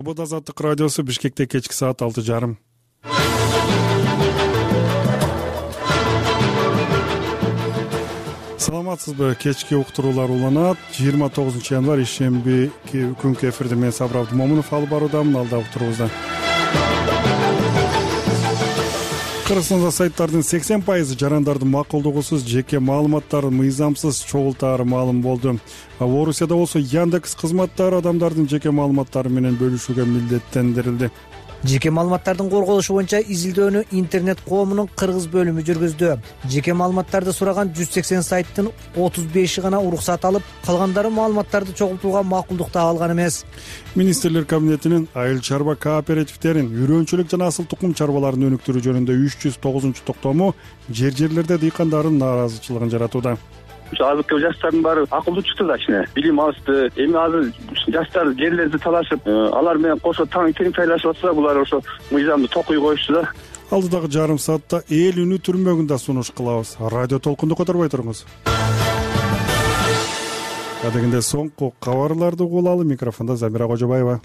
Свобода азаттык радиосу Бишкекте кечки саат 6:30. Саламатсызбы? Кечки уктуруулар уланат. 29 январь ишемби күнкү эфирде мен Сабыр Абдымомунов алып баруудамын. Алда уктуруубузда Кыргызстанда сайттардын 80% жарандардын макулдугусуз жеке маалыматтары мыйзамсыз чогултаары маалым болду. Орусияда болсо Яндекс кызматтары адамдардын жеке маалыматтары менен бөлүшүүгө милдеттендирилди. Жеке маалыматтардын корголушу боюнча изилдөөнү интернет коомунун кыргыз бөлүмү жүргүздү. Жеке маалыматтарды сураган 180 сайттын 35и гана уруксат алып, калгандары маалыматтарды чогултууга макулдук таап алган эмес. Министрлер кабинетинин айыл чарба кооперативдерин үрөнчүлүк жана асыл тукум чарбаларын өнүктүрүү жөнүндө 309-токтому жерлерде дыйкандардын нааразычылыгын жаратууда. Азыркы жаштардын баары акылдуу чыкты да кичине билим алышты. Эми азыр жаштар жерлерди талашып, алар менен кошо тең тайлашып атса, булар ошо мыйзамды токуй коюшту да. Алдыдагы жарым саатта эл үнү түрмөгүндө сунуш кылабыз. Радио толкунду которбой туруңуз. Адегенде соңку кабарларды угулалы. Микрофондо Замира Кожобаева.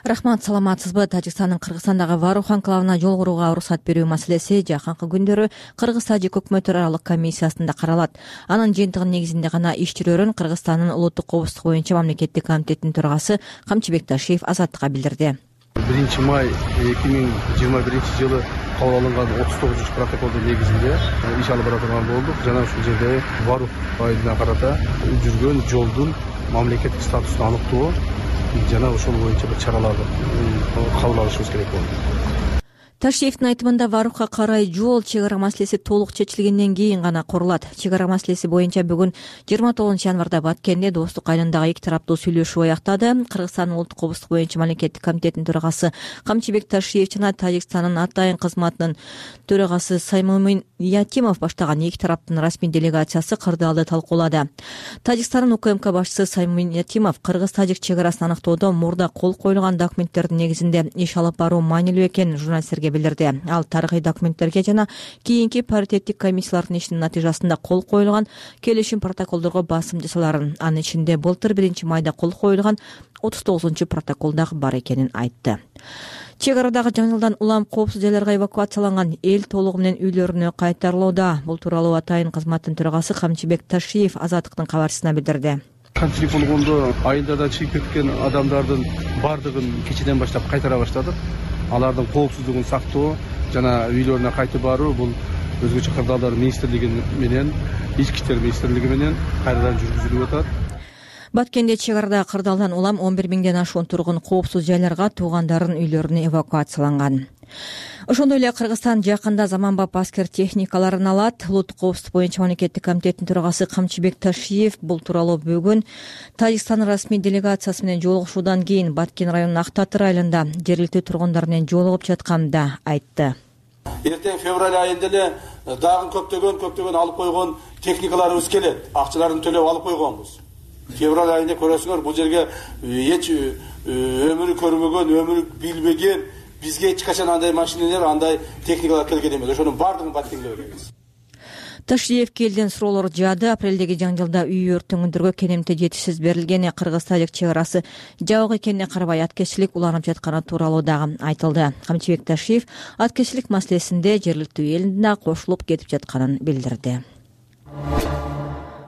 Рахмат, саламатсызбы? Тажикстандын Кыргызстандагы Варух анклавына жол курууга уруксат берүү маселеси жакынкы күндөрү Кыргыз-Тажик өкмөттөр аралык комиссиясында каралат. Анын жыйынтыгынын негизинде гана иш жүрөрүн Кыргызстандын улуттук коопсуздук боюнча мамлекеттик комитеттин төрагасы Камчыбек Ташиев Азаттыкка билдирди. 1 май 2021 жылы кабыл алынган 39-протоколдун негизинде иш алып бара турган болдук. Жана ушул жерде Варух айылына карата жүргөн жолдун мамлекеттик статусун аныктоо жана ошол боюнча бир чараларды кабыл алышыбыз керек болду. Ташиевдин айтымында Варухка карай жол чек ара маселеси толук чечилгенден кийин гана курулат. Чек ара маселеси боюнча бүгүн 29 январда Баткенде достук айылындагы эки тараптуу сүйлөшүү аяктады. Кыргызстандын улуттук коопсуздук боюнча мамлекеттик комитеттин төрагасы Камчыбек Ташиев жана Тажикстандын атайын кызматынын төрагасы Саймумин Ятимов баштаган эки тараптын расмий делегациясы кырдаалды талкуулады. Тажикстандын УКМК башчысы Саймумин Ятимов Кыргыз-Тажик чек арасын аныктоодо мурда кол коюлган документтердин негизинде иш алып баруу маанилүү экенин журналисттерге билдирди. Ал тарыхый документтерге жана кийинки паритеттик комиссиялардын ишинин натыйжасында кол коюлган келишим протоколдорго басым жасаларын, анын ичинде былтыр 1 майда кол коюлган 39-протокол дагы бар экенин айтты. Чек арадагы жаңылдан улам коопсуз жайларга эвакуацияланган эл толугу менен үйлөрүнө кайтарылууда. Бул тууралуу атайын кызматтын төрагасы Камчыбек Ташиев Азаттыктын кабарчысына билдирди. Канчылык болгондо айылдардан чыгып кеткен адамдардын бардыгын кечеден баштап кайтара баштадык. Алардын коопсуздугун сактоо жана үйлөрүнө кайтып баруу бул өзгөчө кырдаалдар министрлиги менен, ички иштер министрлиги менен кайрадан жүргүзүлүп атат. Баткенде чек арада кырдаалдан улам 11 миңден ашуун тургун коопсуз жайларга туугандарын үйлөрүнө эвакуацияланган. Ошондой эле Кыргызстан жакында заманбап аскер техникаларын алат. Улуттук коопсуздук боюнча мамлекеттик комитеттин төрагасы Камчыбек Ташиев бул тууралуу бүгүн Тажикстандын расмий делегациясы менен жолугушуудан кийин Баткен районунун Актатыр айылында жергиликтүү тургундар менен жолугуп жатканда айтты. Эртең февраль айында эле дагы көптөгөн алып койгон техникаларыбыз келет. Акчаларын төлөп алып койгонбуз. Февраль айында көрөсүңөр, бул жерге эч өмүрү көрбөгөн, өмүрү билбеген, бизге эч качан андай машиналар, андай техникалар келген эмес. Ошонун бардыгын Баткенге беребиз. Ташиев келден суроолор жаады. Апрелдеги жаңжылда үй өртөңүндөргө кенемте жетишсиз берилгени, Кыргыз-Тажик чек арасы жабык экенине карабай аткезчилик уланып жатканы тууралуу дагы айтылды. Камчыбек Ташиев аткезчилик маселесинде жергиликтүү элдин да кошулуп кетип жатканын билдирди.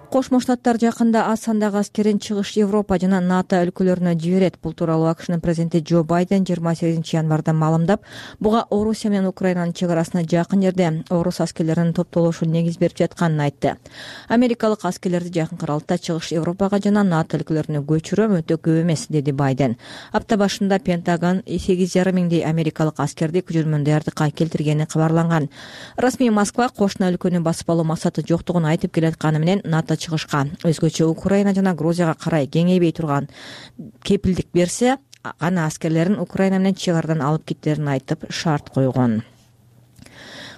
Кошмо Штаттар жакында аз сандагы аскерин чыгыш Европа жана НАТО өлкөлөрүнө жиберет. Бул тууралуу АКШнын президенти Джо Байден 28 январда маалымдап, буга Орусия менен Украинанын чек арасына жакын жерде орус аскерлеринин топтолушу негиз берип жатканын айтты. Америкалык аскерлерди жакынкы аралыкта чыгыш Европага жана НАТО өлкөлөрүнө көчүрүү өтө көп эмес, деди Байден. Апта башында Пентагон 8,5 миңдей америкалык аскерди күчөрмөн даярдыкка келтиргени кабарланган. Расмий Москва кошуна өлкөнү басып алуу максаты жоктугун айтып келатканы менен НАТО чыгышка, өзгөчө Украина жана Грузияга карай кеңейбей турган кепилдик берсе, гана аскерлерин Украина менен чек арадан алып кеттерин айтып шарт койгон.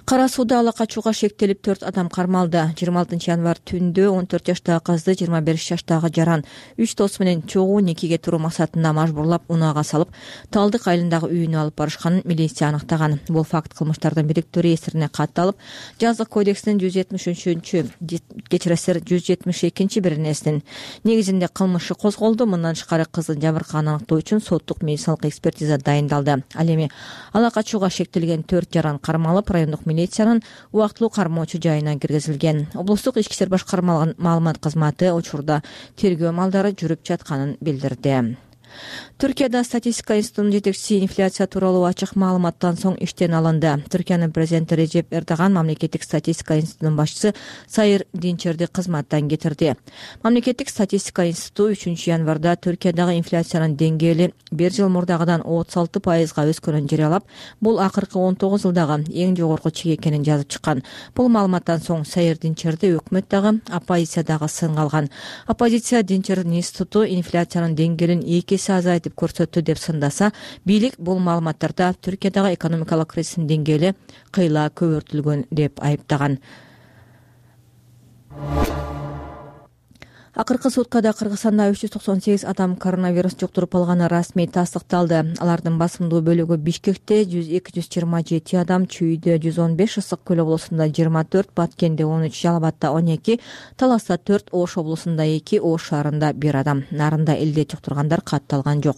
Кара сууда ала качууга шектелип 4 адам кармалды. 26 январь түндө 14 жаштагы кызды 25 жаштагы жаран 3 досу менен чогуу никеге туруу максатында мажбурлап унаага салып, Талдык айылындагы үйүнө алып барышканын милиция аныктаган. Бул факт кылмыштардын бириктөө реестерине катталып, Жазык кодексинин 172 беренесинин негизинде кылмышы козголду. Мындан тышкары кыздын жабыркаганын аныктоо үчүн соттук медициналык экспертиза дайындалды. Ал эми ала качууга шектелген 4 жаран кармалып, райондук милициянын убактылуу кармоочу жайына киргизилген. Облустук ички иштер башкармалыгынын маалымат кызматы учурда тергөө амалдары жүрүп жатканын билдирди. Түркияда статистика институтунун жетекчиси инфляция тууралуу ачык маалыматтан соң иштен алынды. Түркиянын президенти Режеп Эрдоган мамлекеттик статистика институтунун башчысы Сайыр Динчерди кызматтан кетирди. Мамлекеттик статистика институту 3 январда Түркиядагы инфляциянын деңгээли 1 жыл мурдагыдан 36%га өскөнүн жарыялап, бул акыркы 19 жылдагы эң жогорку чек экенин жазып чыккан. Бул маалыматтан соң Сайыр Динчерди өкмөт дагы, оппозиция дагы сынга алган. Оппозиция Динчердин институту инфляциянын деңгээлин 2 эсе азайтып көрсөттү деп сындаса, бийлик бул маалыматтарда Түркиядагы экономикалык кризистин деңгээли кыйла көбөртүлгөн деп айыптаган. Акыркы суткада Кыргызстанда 398 адам коронавирус жуктуруп алганы расмий тастыкталды. Алардын басымдуу бөлүгү Бишкекте 227 адам, Чүйдө 115, Ысык Көл облусунда 24, Баткенде 13, Жалал-Абадда 12, Таласта 4, Ош облусунда 2, Ош шаарында 1 адам. Нарында элде жуктургандар катталган жок.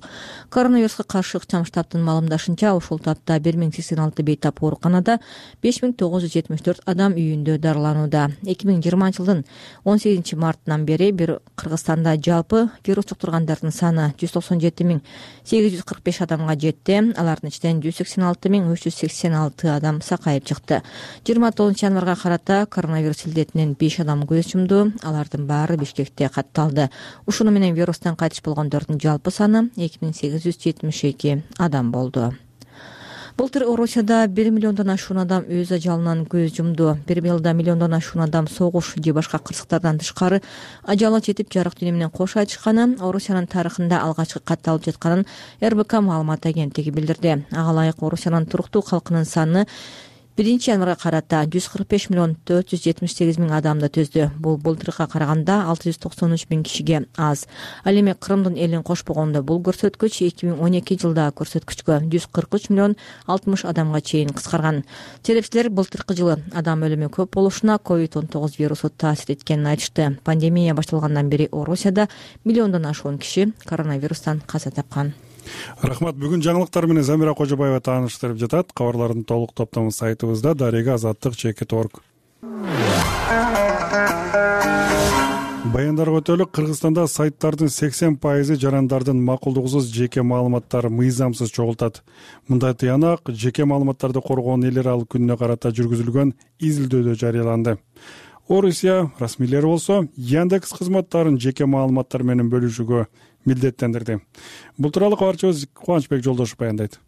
Коронавируска каршы ыкчам штабтын маалымдашынча, ушул тапта 1086 бейтап ооруканада, 5974 адам үйүндө дарыланууда. 2020 жылдын 18 мартынан бери Кыргызстанда жалпы вирус жуктургандардын саны 197.845 адамга жетти. Алардын ичинен 186.386 адам сакайып чыкты. 29 январга карата коронавирус илдетинен 5 адам көз жумду. Алардын баары Бишкекте катталды. Ушуну менен вирустан кайтыш болгондордун жалпы саны 2872 адам болду. Былтыр Орусияда 1 миллиондон ашуун адам өз ажалынан көз жумду. 1 жылда миллиондон ашуун адам согуш же башка кырсыктардан тышкары ажалы жетип жарык дүйнө менен кош айтышканы Орусиянын тарыхында алгачкы катталып жатканын РБК маалымат агенттиги билдирди. Ага ылайык Орусиянын туруктуу калкынын саны 1 январга карата 145 миллион 478 миң адамды түздү. Бул былтыркыга караганда 693 миң кишиге аз. Ал эми Крымдын элин кошпогондо бул көрсөткүч 2012 жылдагы көрсөткүчкө 143 миллион 60 адамга чейин кыскарган. Серепчилер былтыркы жылы адам өлүмү көп болушуна COVID-19 вирусу таасир эткенин айтышты. Пандемия башталгандан бери Орусияда миллиондон ашуун киши коронавирустан каза тапкан. Рахмат. Бүгүн жаңылыктар менен Замира Кожобаева тааныштырып жатат. Кабарлардын толук топтому сайтыбызда дарега azаттык.org. Баяндарга өтөлүк. Кыргызстанда сайттардын 80% жарандардын макулдугусуз жеке маалыматтары мыйзамсыз чогултат. Мындай тыянак жеке маалыматтарды коргоонун эл аралык күнүнө карата жүргүзүлгөн изилдөөдө жарыяланды. Орусия расмийлери болсо Яндекс кызматтарын жеке маалыматтар менен бөлүшүүгө милдеттендирди. Бул тууралуу кабарчыбыз Кубанычбек Жолдошов баяндайт.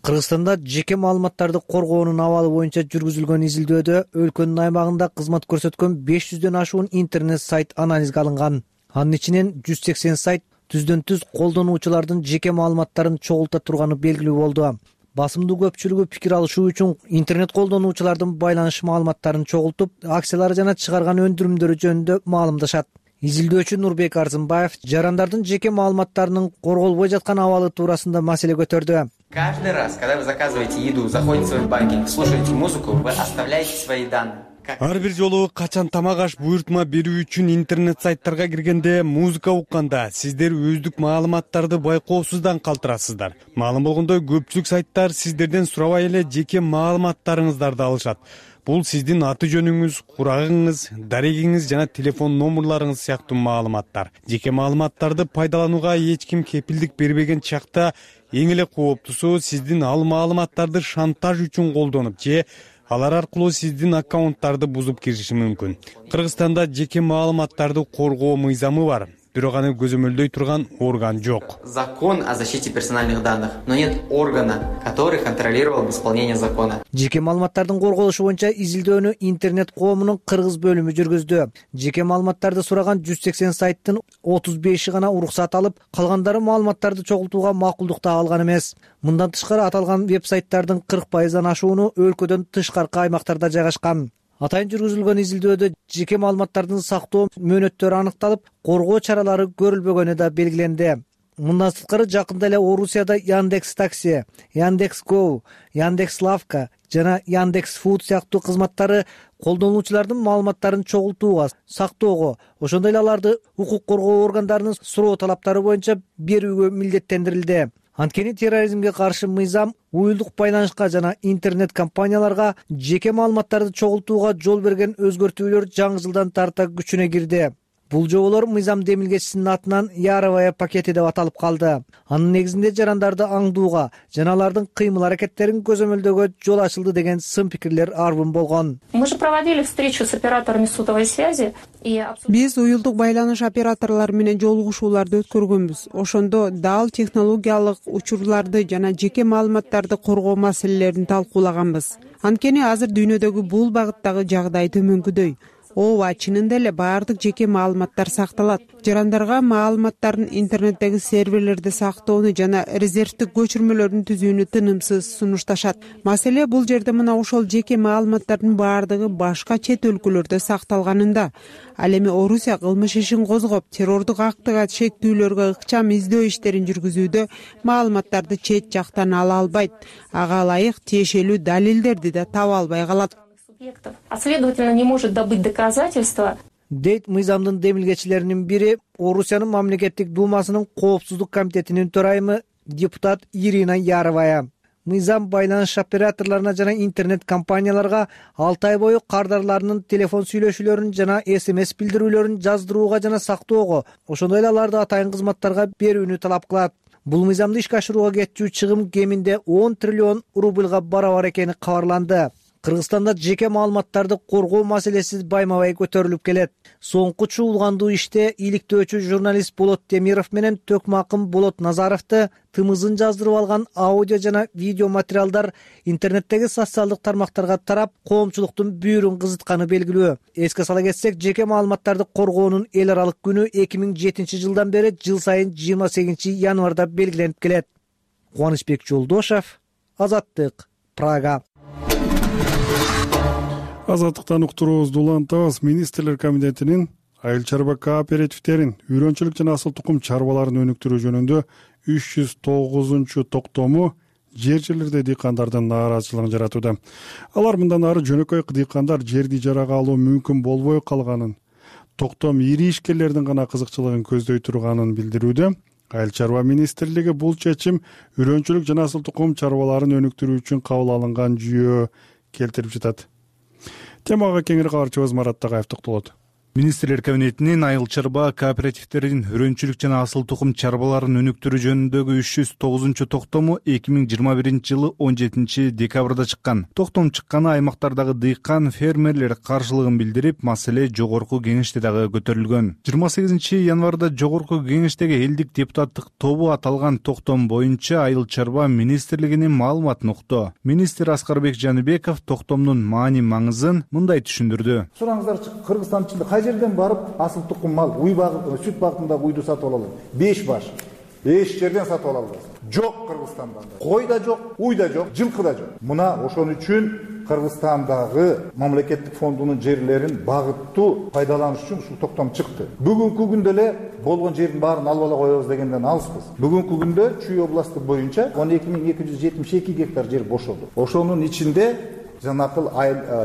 Кыргызстанда жеке маалыматтарды коргоонун абалы боюнча жүргүзүлгөн изилдөөдө өлкөнүн аймагында кызмат көрсөткөн 500дөн ашуун интернет сайт анализге алынган. Анын ичинен 180 сайт түздөн-түз колдонуучулардын жеке маалыматтарын чогулта турганы белгилүү болду. Басымдуу көпчүлүгү пикир алышуу үчүн интернет колдонуучулардын байланыш маалыматтарын чогултуп, акциялары жана чыгарган өндүрүмдөрү жөнүндө маалымдашат. Изилдөөчү Нурбек Арзымбаев жарандардын жеке маалыматтарынын корголбой жаткан абалы туурасында маселе көтөрдү. Каждый раз, когда вы заказываете еду, заходите в свой банкинг, слушаете музыку, вы оставляете свои данные. Ар бир жолу качан тамак аш буйртма берүү үчүн интернет сайттарга киргенде, музыка укканда сиздер өздүк маалыматтарды байкоосуздан калтырасыздар. Маалым болгондой, көпчүлүк сайттар сиздерден сурабай эле жеке маалыматтарыңыздарды алышат. Бул сиздин аты жөнүңүз, курагыңыз, дарегиңиз жана телефон номурларыңыз сыяктуу маалыматтар. Жеке маалыматтарды пайдаланууга эч ким кепилдик бербеген чакта эң эле кооптусу сиздин ал маалыматтарды шантаж үчүн колдонуп же алар аркылуу сиздин аккаунттарды бузуп кириши мүмкүн. Кыргызстанда жеке маалыматтарды коргоо мыйзамы бар. бирок аны көзөмөлдөй турган орган жок. Закон о защите персональных данных, но нет органа, который контролировал бы исполнение закона. Жеке маалыматтардын корголушу боюнча изилдөөнү интернет коомунун кыргыз бөлүмү жүргүздү. Жеке маалыматтарды сураган 180 сайттын 35и гана уруксат алып, калгандары маалыматтарды чогултууга макулдук алган эмес. Мындан тышкары аталган веб-сайттардын 40%дан ашууну өлкөдөн тышкаркы аймактарда жайгашкан. Атайын жүргүзүлгөн изилдөөдө жеке маалыматтардын сактоо мөөнөттөрү аныкталып, коргоо чаралары көрүлбөгөнү да белгиленди. Мындан сырткары жакында эле Орусияда Яндекс Такси, Яндекс Go, Яндекс Лавка жана Яндекс Фуд сыяктуу кызматтары колдонуучулардын маалыматтарын чогултууга, сактоого, ошондой эле аларды укук коргоо органдарынын суроо талаптары боюнча берүүгө милдеттендирилди. Анткени терроризмге каршы мыйзам уюлдук байланышка жана интернет компанияларга жеке маалыматтарды чогултууга жол берген өзгөртүүлөр жаңы жылдан тарта күчүнө кирди. Бул жоболор мыйзам демилгечисинин атынан Яровая пакети деп аталып калды. Анын негизинде жарандарды аңдууга жана алардын кыймыл-аракеттерин көзөмөлдөөгө жол ачылды деген сын пикирлер арбын болгон. Мы же проводили встречу с операторами сотовой связи. Биз уюлдук байланыш операторлору менен жолугушууларды өткөргөнбүз. Ошондо дал технологиялык учурларды жана жеке маалыматтарды коргоо маселелерин талкуулаганбыз. Анткени азыр дүйнөдөгү бул багыттагы жагдай төмөнкүдөй. Ооба, чынында эле баардык жеке маалыматтар сакталат. Жарандарга маалыматтарын интернеттеги серверлерде сактоону жана резервдик көчүрмөлөрүн түзүүнү тынымсыз сунушташат. Маселе бул жерде мына ошол жеке маалыматтардын баардыгы башка чет өлкөлөрдө сакталганында. Ал эми Орусия кылмыш ишин козгоп, террордук актыга шектүүлөргө ыкчам издөө иштерин жүргүзүүдө маалыматтарды чет жактан ала албайт. Ага ылайык тиешелүү далилдерди да таба албай калат. А следовательно, не может добыть доказательства. Дейт мыйзамдын демилгечилеринин бири Орусиянын мамлекеттик думасынын коопсуздук комитетинин төрайымы депутат Ирина Яровая. Мыйзам байланыш операторлоруна жана интернет компанияларга 6 ай бою кардарларынын телефон сүйлөшүүлөрүн жана СМС билдирүүлөрүн жаздырууга жана сактоого, ошондой эле аларды атайын кызматтарга берүүнү талап кылат. Бул мыйзамды ишке ашырууга кетчү чыгым кеминде 10 триллион рубльга барабар экени кабарланды. Кыргызстанда жеке маалыматтарды коргоо маселеси байма-бай көтөрүлүп келет. Соңку чуулгандуу иште иликтөөчү журналист Болот Темиров менен Төкмакым Болот Назаровду тымызын жаздырып алган аудио жана видео материалдар интернеттеги социалдык тармактарга тарап, коомчулуктун бүйүрүн кызытканы белгилүү. Эске сала кетсек, жеке маалыматтарды коргоонун эл аралык күнү 2007 жылдан бери жыл сайын 28 январда белгиленип келет. Кубанычбек Жолдошев, Азаттык, Прага. Азаттыктан уктуруубузду улантабыз. Министрлер комитетинин айыл чарба кооперативтерин үйрөнчүлүк жана асыл тукум чарбаларын өнүктүрүү жөнүндө 309-токтому жер-жерлерде дыйкандардын нааразычылыгын жаратууда. Алар мындан ары жөнөкөй дыйкандар жерди ижарага алуу мүмкүн болбой калганын, токтом ири ишкерлердин гана кызыкчылыгын көздөй турганын билдирүүдө. Айыл чарба министрлиги бул чечим үйрөнчүлүк жана асыл тукум чарбаларын өнүктүрүү үчүн кабыл алынган жүйө келтирип жатат. Темага кеңири кабарчыбыз Марат Тагаев токтолот. Министрлер кабинетинин айыл чарба кооперативтерин үрөнчүлүк жана асыл тукум чарбаларын өнүктүрүү жөнүндөгү 309-токтому 2021 жылы 17 декабрда чыккан. Токтом чыкканы аймактардагы дыйкан, фермерлер каршылыгын билдирип, маселе жогорку кеңеште дагы көтөрүлгөн. 28 январда жогорку кеңештеги элдик депутаттык тобу аталган токтом боюнча айыл чарба министрлигинин маалыматын укту. Министр Аскарбек Жаныбеков токтомдун маани маңызын мындай түшүндүрдү. Сураңыздарчы, Кыргызстан ичинде жерден барып асыл тукум мал, уй багы, сүт багытындагы уйду сатып алалы. 5 баш. Эч жерден сатып ала албайсыз. Жок Кыргызстанда. Кой да жок, уй да жок, жылкы да жок. Мына ошон үчүн Кыргызстандагы мамлекеттик фондунун жерлерин багыттуу пайдаланыш үчүн ушул токтом чыкты. Бүгүнкү күндө эле болгон жердин баарын алып ала коебуз дегенден алыспыз. Бүгүнкү күндө Чүй областы боюнча 12272 гектар жер бошолду. Ошонун ичинде жанакыл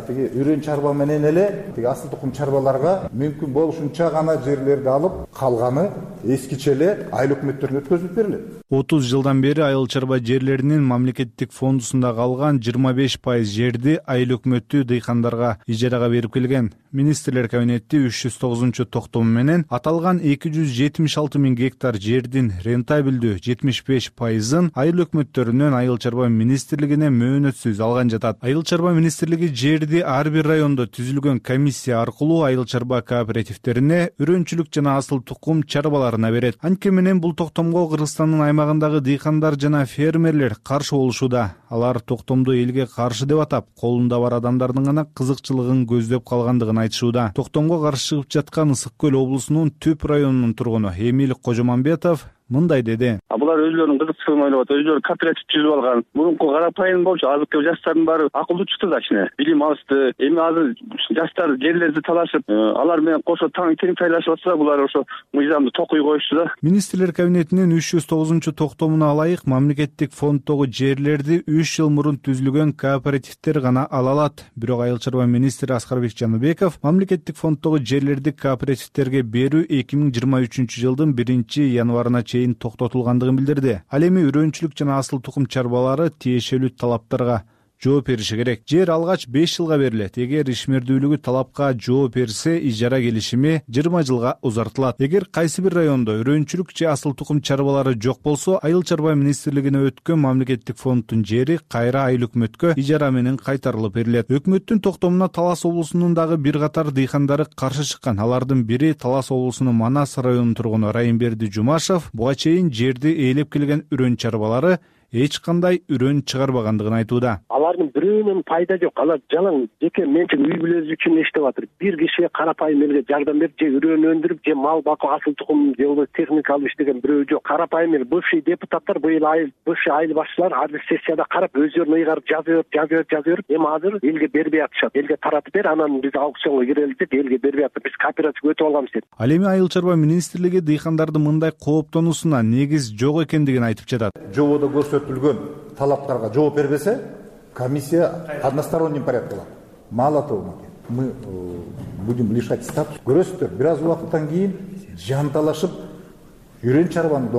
тиги үрөн чарба менен эле тиги асыл тукум чарбаларга мүмкүн болушунча гана жерлерди алып, калганы эскиче эле айыл өкмөттөрүнө өткөзүлүп берилет. 30 жылдан бери айыл чарба жерлеринин мамлекеттик фондусунда калган 25% жерди айыл өкмөтү дыйкандарга ижарага берип келген. Министрлер кабинети 309-токтому менен аталган 276 000 гектар жердин рентабелдүү 75%-ын айыл өкмөттөрүнөн айыл чарба министрлигине мөөнөтсүз алган жатат. Айыл чарба чарба министрлиги жерди ар бир райондо түзүлгөн комиссия аркылуу айыл чарба кооперативтерине үрөнчүлүк жана асыл тукум чарбаларына берет. Анткени менен бул токтомго Кыргызстандын аймагындагы дыйкандар жана фермерлер каршы болушууда. Алар токтомду элге каршы деп атап, колунда бар адамдардын гана кызыкчылыгын көздөп калгандыгын айтышууда. Токтомго каршы чыгып жаткан Ысык көл облусунун Түп районунун тургуну Эмил Кожомамбетов мындай деди. Булар өзлөрүнүн кызыкчылыгын ойлоп атат, өзлөрү кооператив түзүп алган. Мурунку карапайым болчу, азыркы жаштардын баары акылдуу чыкты да ичине. Билим алышты. Эми азыр жаштар жерлерди талашып, алар менен кошо тең файлашып атса, булар ошо мыйзамды токуй коюшту да. Министрлер кабинетинин 309 токтомуна ылайык мамлекеттик фонддогу жерлерди 3 жыл мурун түзүлгөн кооперативдер гана ала алат. Бирок айыл чарба министри Аскарбек Жаныбеков мамлекеттик фонддогу жерлерди кооперативтерге берүү 2023 жылдын 1-январына токтотулгандыгын билдирди. Ал эми үрөнчүлүк жана асыл тукум чарбалары тиешелүү талаптарга жооп бериши керек. Жер алгач 5 жылга берилет. Эгер ишмердүүлүгү талапка жооп берсе, ижара келишими 20 жылга узартылат. Эгер кайсы бир райондо үрөнчүлүк же асыл тукум чарбалары жок болсо, айыл чарба министрлигине өткөн мамлекеттик фонддун жери кайра айыл өкмөткө ижара менен кайтарылып берилет. Өкмөттүн токтомуна Талас облусунун дагы бир катар дыйкандары каршы чыккан. Алардын бири Талас облусунун Манас районунун тургуну Райымберди Жумашев буга чейин жерди ээлеп келген үрөн чарбалары эч кандай үрөн чыгарбагандыгын айтууда. Алардын бирөөнүн пайда жок. Алар жалаң жеке менчик үй бүлөсү үчүн иштеп атыр. Бир кишиге карапайым элге жардам берип, же үрөн өндүрүп, же мал бакып, асыл тукум же болбосо техника алып иштеген бирөө жок. Карапайым эл бывший депутаттар быйыл бывший айыл башчылар ар бир сессияда карап өздөрүн ыйгарып жазып, эми азыр элге бербей атышат. Элге таратып бер, анан биз аукционго кирели деп элге бербей атып, биз кооперативге өтүп алганбыз деп. Ал эми айыл чарба министрлиги дыйкандардын мындай кооптонуусуна негиз жок экендигин айтып жатат. Жободо көрсөтүлгөн талаптарга жооп бербесе, комиссия односторонним порядком. Мало того, мы будем лишать статуса. Көрөсүздөр, бир аз убакыттан кийин жанталашып үрөн чарбаны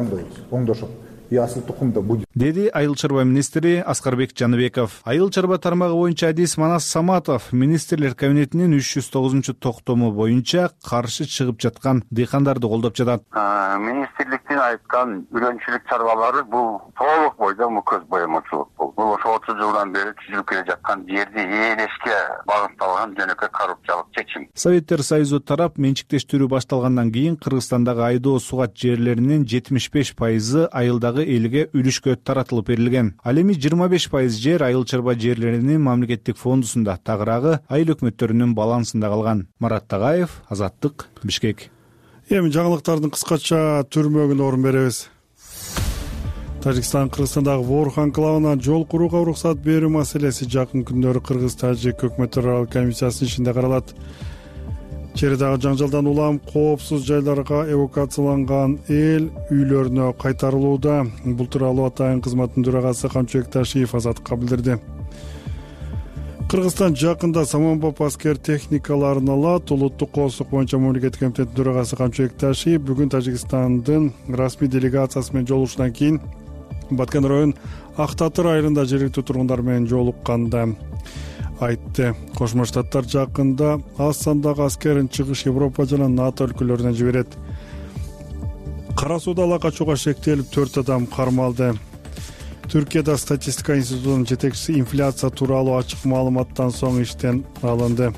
оңдошот. И асыл тукумда будет. Деди айыл чарба министри Аскарбек Жаныбеков. Айыл чарба тармагы боюнча адис Манас Саматов министрлер кабинетинин 309 токтому боюнча каршы чыгып жаткан дыйкандарды колдоп жатат. Министрликтин айткан үрөнчүлүк чарбалары бул толук бойдон көз боемочулук бул. Бул ошо 30 жылдан бери түзүлүп келе жаткан жерди ээлешке багытталган жөнөкөй коррупциялык чечим. Советтер Союзу тарап менчиктештирүү башталгандан кийин Кыргызстандагы айдоо сугат жерлеринин 75% айылдагы элге үлүшкө таратылып берилген. Ал эми 25% жер айыл чарба жерлеринин мамлекеттик фондусунда, тагыраагы айыл өкмөттөрүнүн балансында калган. Марат Тагаев, Азаттык, Бишкек. Эми жаңылыктардын кыскача түрмөгүнө орун беребиз. Тажикстан Кыргызстандагы Воорух анклавына жол курууга уруксат берүү маселеси жакын күндөрү Кыргыз-Тажик өкмөт аралык комиссиясынын ишинде каралат. Чередагы жаңжалдан улам коопсуз жайларга эвакуацияланган эл үйлөрүнө кайтарылууда. Бул тууралуу Атайын кызматтын төрагасы Камчыбек Ташиев Азаттыкка билдирди. Кыргызстан жакында саманбап аскер техникаларын алат. Улуттук коопсуздук боюнча мамлекеттик комитеттин төрагасы Камчыбек Ташиев бүгүн Тажикстандын расмий делегациясы менен жолугушуудан кийин Баткен районунун Ак Татыр айылында жергиликтүү тургундар менен жолукканда айтты. Кошмо Штаттар жакында аз сандагы аскерин чыгыш Европа жана НАТО өлкөлөрүнө жиберет. Кара сууда ала качууга шектелип 4 адам кармалды. Түркияда статистика институтунун жетекчиси инфляция тууралуу ачык маалыматтан соң иштен алынды.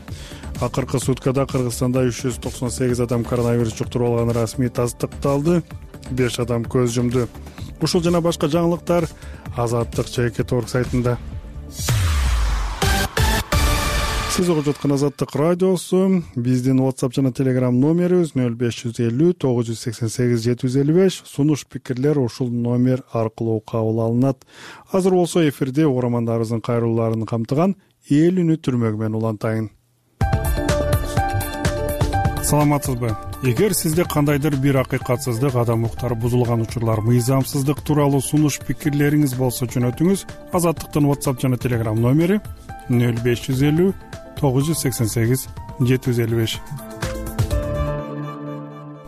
Акыркы суткада Кыргызстанда 398 адам коронавирус жуктуруп алганы расмий тастыкталды. 5 адам көз жумду. Ушул жана башка жаңылыктар Азаттык ЖК сайтында. Сиз угуп жаткан Азаттык радиосу. Биздин WhatsApp жана Telegram номерибиз 0550 988 755. Сунуш пикирлер ушул номер аркылуу кабыл алынат. Азыр болсо эфирде угармандарыбыздын кайрылууларын камтыган эл үнү түрмөгү менен улантайын. Саламатсызбы? Эгер сизде кандайдыр бир акыйкатсыздык, адам укуктары бузулган учурлар, мыйзамсыздык тууралуу сунуш пикирлериңиз болсо жөнөтүңүз. Азаттыктын WhatsApp жана Telegram номери 0550 988 755.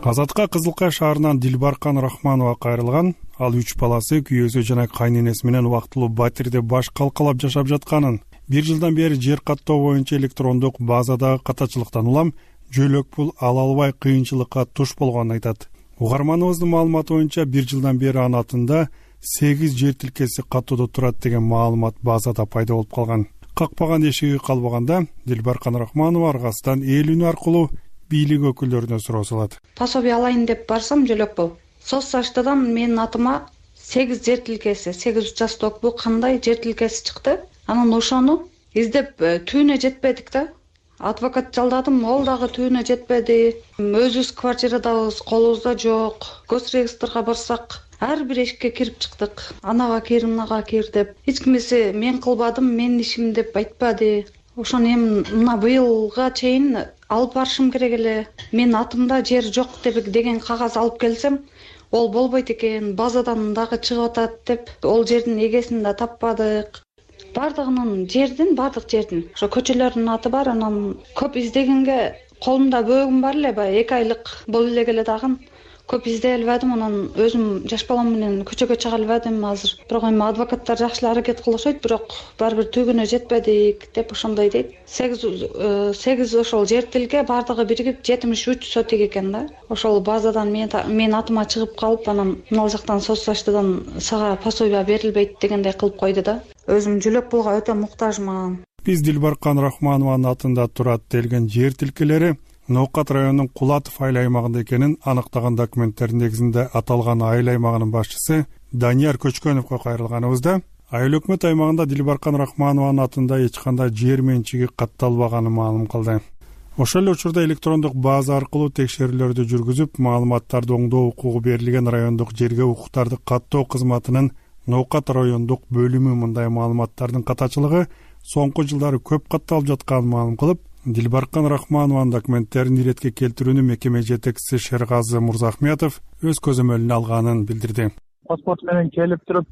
Азатка Кызылкай шаарынан Дилбаркан Рахманова кайрылган. Ал 3 баласы, күйөөсү жана кайненеси менен убактылуу батирде баш калкалап жашап жатканын, 1 жылдан бери жер каттоо боюнча электрондук базадагы катачылыктан улам жөлөк пул ала албай кыйынчылыкка туш болгонун айтат. Угарманыбыздын маалыматы боюнча 1 жылдан бери анын атында 8 жер тилкеси каттоодо турат деген маалымат базада пайда болуп калган. какпаган эшиги калбаганда Дилбаркан Рахманова аргасынан эл үнү аркылуу бийлик өкүлдөрүнө суроо салат. Пособие алайын деп барсам жөлөк болуп. Соцсаштадан менин атыма 8 жер тилкеси, 8 участок бул кандай жер тилкеси чыкты. Анан ошону издеп түбүнө жетпедик да. Адвокат жалдадым, ол дагы түбүнө жетпеди. Өзүбүз квартирадабыз, колубузда жок. Госреестрге барсак, ар бир эшикке кирип чыктык. Анага кир, мынага кир деп. Эч кимиси мен кылбадым, менин ишим деп айтпады. Ошону эми мына быйылга чейин алып барышым керек эле. Менин атымда жер жок деген кагаз алып келсем, ол болбойт экен, базадан дагы чыгып атат деп, ол жердин эгесин да таппадык. Бардык жердин. Ошо көчөлөрдүн аты бар, анан көп издегенге колумда бөөгүм бар эле, баягы 2 айлык боло эле келе дагы. Көп издей албадым, анан өзүм жаш балам менен көчөгө чыга албадым азыр. Бирок эми адвокаттар жакшы эле аракет кылышат, бирок баары бир түгүнө жетпедик деп ошондой дейт. 8 ошол жер тилге бардыгы биригип 73 сотик экен да. Ошол базадан мен атыма чыгып калып, анан мына жактан соцсаштадан сага пособие берилбейт дегендей кылып койду да. Өзүм жөлөк пулга өтө муктажмын. Биз Дилбаркан Рахманованын атында турат делген жер тилкелери Ноокат районунун Кулатов айыл аймагында экенин анықтаган документтердин негизинде аталган айыл аймагынын башчысы Данияр Көчкөновго кайрылганыбызда айыл өкмөт аймагында Дилбаркан Рахманованын атында эч кандай жер менчиги катталбаганын маалым кылды. Ошол эле учурда электрондук база аркылуу текшерүүлөрдү жүргүзүп, маалыматтарды оңдоо укугу берилген райондук жерге укуктарды каттоо кызматынын Ноокат райондук бөлүмү мындай маалыматтардын катачылыгы соңку жылдары көп катталып жатканын маалым кылып, Дилбаркан Рахманованын документтерин иретке келтирүүнү мекеме жетекчиси Шергазы Мурзахметов өз көзөмөлүнө алганын билдирди. Паспорт менен келип туруп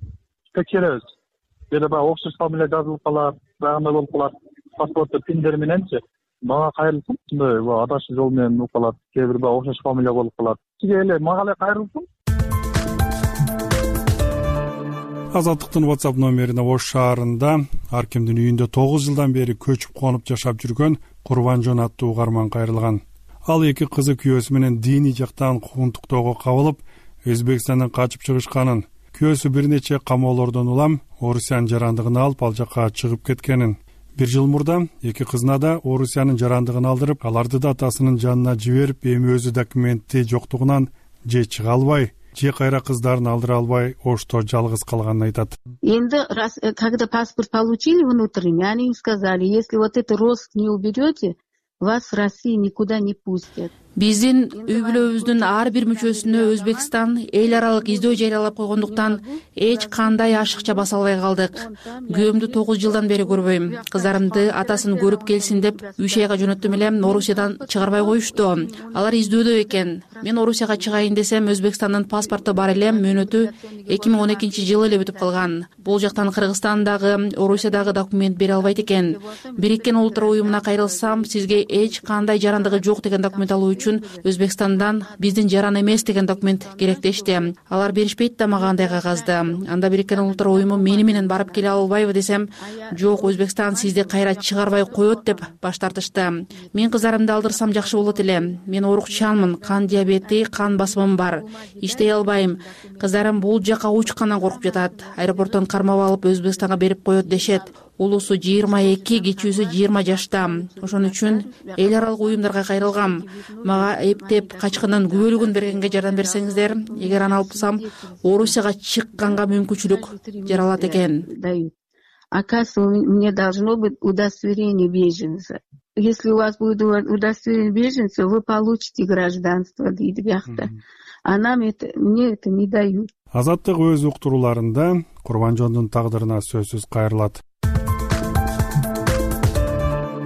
текшеребиз. Бирде баягы окшош фамилия жазылып калат, баягындай болуп калат. Паспортту пиндер мененчи мага кайрылсын, ушундай адашуу жол менен болуп калат. Кээ бир баягы окшош фамилия болуп калат. Сизге эле мага эле кайрылсын. Азаттыктын WhatsApp номерине Ош шаарында ар кимдин үйүндө 9 жылдан бери көчүп конуп жашап жүргөн Курбанжон аттуу угарман кайрылган. Ал 2 кызы күйөөсү менен диний жактан куугунтуктоого кабылып, Өзбекстандан качып чыгышканын, күйөөсү бир нече камоолордон улам Орусиянын жарандыгын алып ал жакка чыгып кеткенин. 1 жыл мурда 2 кызына да Орусиянын жарандыгын алдырып, аларды да атасынын жанына жиберип, эми өзү документи жоктугунан же чыга албай, же кайра кыздарын алдыра албай Ошто жалгыз калганын айтат. Энди раз когда паспорт получили внутренний, они им сказали, если вот это рост не уберете, вас в России никуда не пустят. Биздин үй бүлөбүздүн ар бир мүчөсүнө Өзбекстан эл аралык издөө жарыялап койгондуктан эч кандай ашыкча баса албай калдык. Күйөөмдү 9 жылдан бери көрбөйм. Кыздарымды атасын көрүп келсин деп 3 айга жөнөттүм эле, Орусиядан чыгарбай коюшту. Алар издөөдө экен. Мен Орусияга чыгайын десем, Өзбекстандын паспорту бар эле, мөөнөтү 2012-жылы эле бүтүп калган. Бул жактан Кыргызстандагы, Орусиядагы документ бере албайт экен. Бириккен Улуттар уюмуна кайрылсам, сизге эч кандай жарандыгы жок деген документ алуу үчүн Өзбекстандан биздин жаран эмес деген документ керек дешти. Алар беришпейт да мага андай кагазды. Анда Бириккен Улуттар уюму мени менен барып келе албайбы десем, жок, Өзбекстан сизди кайра чыгарбай коет деп баш тартышты. Мен кыздарымды алдырсам жакшы болот эле. Мен оорукчанмын, кан диабети, кан басымым бар. Иштей албайм. Кыздарым бул жака учкандан коркуп жатат. Аэропорттон кармап алып Өзбекстанга берип коет дешет. Улусу 22, кичүүсү 20 жашта. Ошон үчүн эл аралык уюмдарга кайрылгам. Мага эптеп качкындан күбөлүгүн бергенге жардам берсеңиздер, эгер аны алсам, Орусияга чыкканга мүмкүнчүлүк жаралат экен. Оказывается, мне должно быть удостоверение беженца. Если у вас будет удостоверение беженца, вы получите гражданство дейт биякта. А мне это не дают. Азаттык өз уктурууларында Курбанжондун тагдырына сөзсүз кайрылат.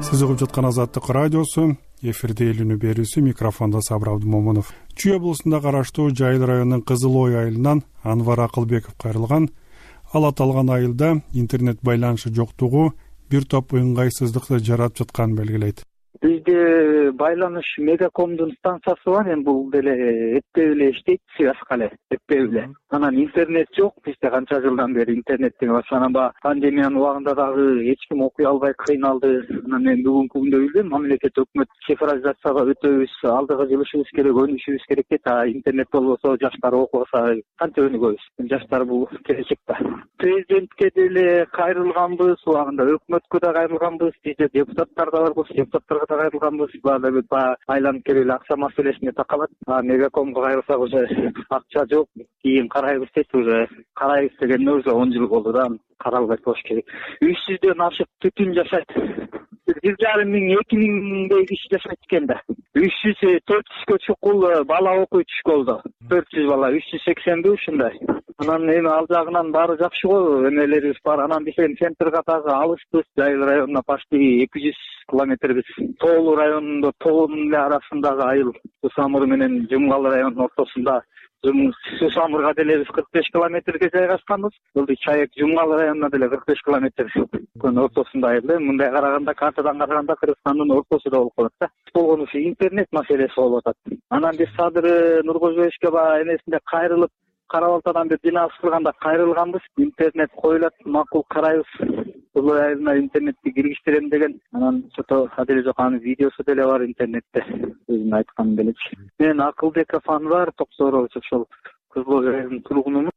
Сиз угуп жаткан Азаттык радиосу, эфирде эл үнү берүүсү, микрофондо Сабыр Абдымомунов. Чүй облусунда караштуу Жайыл районунун Кызыл Ой айылынан Анвар Акылбеков кайрылган. Ал аталган айылда интернет байланышы жоктугу бир топ ыңгайсыздыкты жаратып жатканын белгилейт. Бизде байланыш Мегакомдун станциясы бар, эми бул деле эптеп эле иштейт, связка эле эптеп эле. Анан интернет жок бизде канча жылдан бери интернет деген бар. Анан баягы пандемиянын убагында дагы эч ким окуй албай кыйналды. Анан мен бүгүнкү күндө билдим, мамлекет өкмөт цифровизацияга өтөбүз, алдыга жылышыбыз керек, өнүшүбүз керек дейт. Интернет болбосо, жаштар окубаса канча өнүгөбүз? Жаштар бул келечек да. Президентке деле кайрылганбыз, убагында өкмөткө да кайрылганбыз, бизде депутаттар да барбыз, депутаттарга да кайрылганбыз. Баары айланып келип эле акча маселесине такалат. Мегакомго кайрылсак уже акча жок, кийин карайбыз дейт. Уже карайбыз дегенде уже 10 жыл болду да, каралбай болуш керек. 300дөн ашык түтүн жашайт. 1,5–2,000 киши жашайт экен да. 300–400гө чукул бала окуучу школдо. 400 бала, 380 ушундай. Анан эми ал жагынан баары жакшы го, эмелерибиз бар. Анан биз центрге дагы алыспыз. Жайыл районуна почти 200 километрбиз. Тоолуу районунда тоонун эле арасындагы айыл. Сусамыр менен Жумгал районунун ортосунда. Сусамырга деле биз 45 километрге жайгашканбыз. Бул Чайек Жумгал районуна деле 45 километр. Күн ортосунда айыл. Мындай караганда, картадан караганда Кыргызстандын ортосунда болуп калат да. Болгону ушу интернет маселеси болуп атат. Анан биз Садыр Нуркожоевичке баягы эмесинде кайрылып, Карабалтадан бир бина кырганда кайрылганбыз. Интернет коюлат, макул карайбыз. Бул айылына интернетти киргиштирем деген. Анан чото аделе жок, анын видеосу деле бар интернетте. Өзүн айткан делечи. Мен Акылбек Афанвар, Токсорович, ошол Кызыл районунун тургунумун.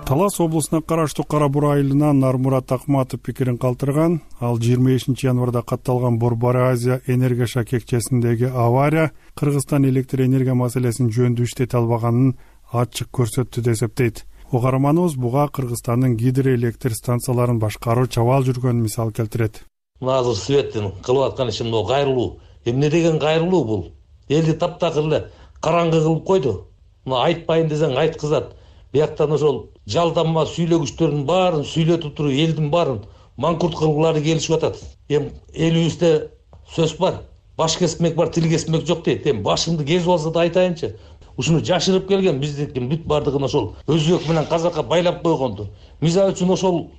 Талас облусуна караштуу Кара Бура айылынан Нармурат Акматов пикирин калтырган. Ал 25-январда катталган Борбора Азия энергия шакекчесиндеги авария Кыргызстан электр энергия маселесин жөндөй иштете албаганын ачык көрсөттү деп эсептейт. Угарманыбыз буга Кыргызстандын гидроэлектр станцияларын башкаруу чабал жүргөнүн мисал келтирет. Мына азыр Светтин кылып аткан иши мына кайрылуу. Эмне деген кайрылуу бул? Элди таптакыр эле караңгы кылып койду. Мына айтпайын десең айткызат. Бияктан ошол жалданма сүйлөгүчтөрдүн баарын сүйлөтүп туруп элдин баарын маңкурт кылгылары келишип атат. Эми элибизде сөз бар. Баш кесмек бар, тил кесмек жок дейт. Эми башымды кесип алса да айтайынчы. Ушуну жашырып келген биздики бүт бардыгын ошол өзбек менен казакка байлап койгонду. Мисалы үчүн ошол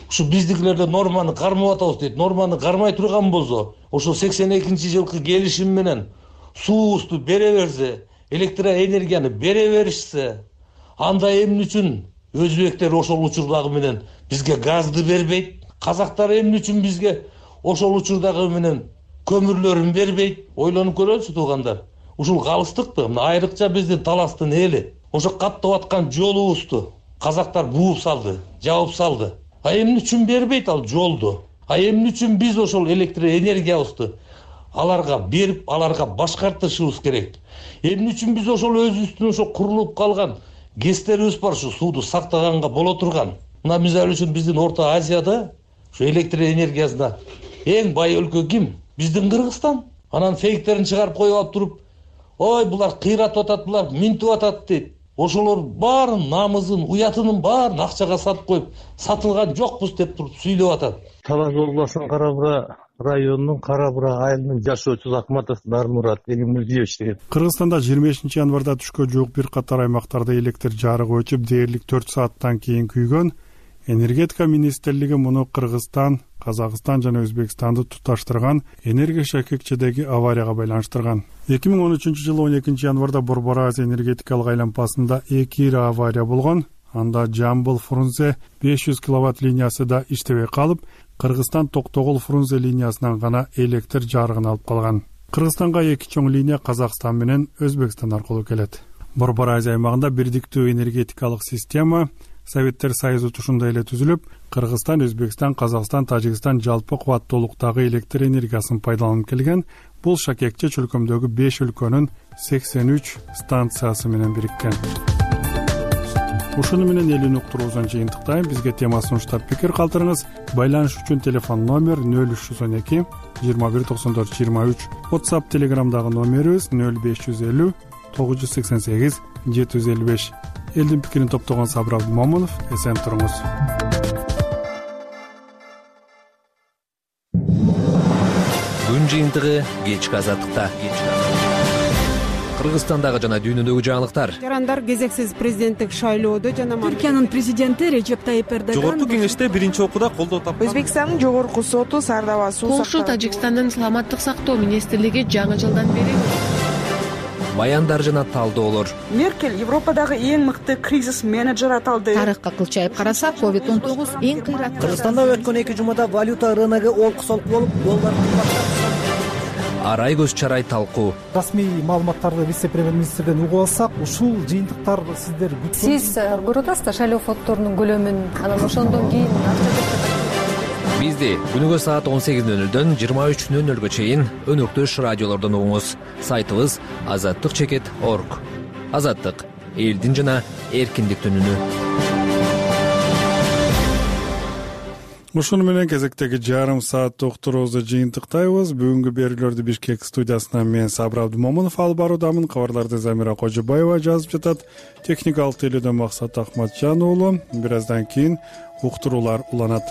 ушу биздикилерде норманы кармап атабыз дейт. Норманы кармай турган болсо, ошол 82-жылкы келишим менен суубузду бере берсе, электроэнергияны бере беришсе, анда эмне үчүн өзбектер ошол учурдагы менен бизге газды бербейт? Казактар эмне үчүн бизге ошол учурдагы менен көмүрлөрүн бербейт? Ойлонуп көрөлүчү туугандар. Ушул калыстыкты, мына айрыкча биздин Таластын эли ошо каттап аткан жолубузду казактар бууп салды, жабып салды. Эмне үчүн бербейт ал жолду? Эмне үчүн биз ошол электроэнергиябызды аларга берип, аларга башкартышыбыз керек? Эмне үчүн биз ошол өзүбүздүн ошо курулуп калган ГЭСтерибиз бар, ушу сууду сактаганга боло турган. Мына мисалы үчүн биздин Орто Азияда ушу электроэнергиясына эң бай өлкө ким? Биздин Кыргызстан. Анан фейктерин чыгарып коюп алып туруп, ой булар кыйратып атат, булар минтип атат дейт. Ошолор баарын намызын, уятынын баарын акчага сатып коюп, сатылган жокпуз деп туруп сүйлөп атат. Талас облусунун Кара Бура районунун Кара Бура айылынын жашоочусу Акматов Нармурат Элимурзиевич деген. Кыргызстанда 25-январда түшкө жуук бир катар аймактарда электр жарыгы өчүп, дээрлик 4 сааттан кийин күйгөн. Энергетика министрлиги муну Кыргызстан, Казакстан жана Өзбекстанды туташтырган энергия шакекчедеги аварияга байланыштырган. 2013-жылы 12-январда Борбора Азия энергетикалык айланпасында 2 ири авария болгон. Анда Жамбыл-Фрунзе 500 киловатт линиясы да иштебей калып, Кыргызстан Токтогул-Фрунзе линиясынан гана электр жарыгын алып калган. Кыргызстанга 2 чоң линия Казакстан менен Өзбекстан аркылуу келет. Борбора Азия аймагында бирдиктүү энергетикалык система Советтер Союзу тушундай эле түзүлүп, Кыргызстан, Өзбекстан, Казакстан, Тажикстан жалпы кубаттуулуктагы электр энергиясын пайдаланып келген. Бул шакекче чөлкөмдөгү 5 өлкөнүн 83 станциясы менен бириккен. Ушуну менен элин уктуруусун жыйынтыктайм. Бизге тема сунуштап пикир калтырыңыз. Байланыш үчүн телефон номер 0312 21 94 23. WhatsApp, Telegramдагы номерибиз 0550 988 755. Элдин пикирин топтогон Сабыр Абдымомунов. Эсен туруңуз. Күн жыйынтыгы кечки азаттыкта. Кыргызстандагы жана дүйнөдөгү жаңылыктар. Жарандар кезексиз президенттик шайлоодо жана Түркиянын президенти Режеп Тайип Эрдоган Жогорку кеңеште биринчи окууда колдоо тапкан. Өзбекстандын жогорку соту Сардаба суу Польша Тажикстандын саламаттык сактоо министрлиги жаңы жылдан бери Баяндар жана талдоолор. Меркель Европадагы эң мыкты кризис менеджер аталды. Тарыхка кылчайып карасак, COVID-19 эң кыйраттуу. Кыргызстанда өткөн 2 жумада валюта рыногу олку-солку болуп, доллар кымбаттады. Арай көз чарай талкуу. Расмий маалыматтарды вице-премьер-министрден угуп алсак, ушул жыйынтыктар сиздер Сиз көрүп атасызбы шайлоо фонддорунун көлөмүн, анан ошондон кийин Бизди күнүгө саат 18:00дөн 23:00га чейин өнөктөш радиолордон угуңуз. Сайтыбыз azatlyk.org. Азаттык — элдин жана эркиндиктин үнү. Ушуну менен кезектеги жарым саат токтурубузду жыйынтыктайбыз. Бүгүнкү берүүлөрдү Бишкек студиясынан мен Сабыр Абдымомунов алып баруудамын. Кабарларды Замира Кожобаева жазып жатат. Техникалык тейлөөдөн Максат Акматжан уулу. Бир аздан кийин уктуруулар уланат.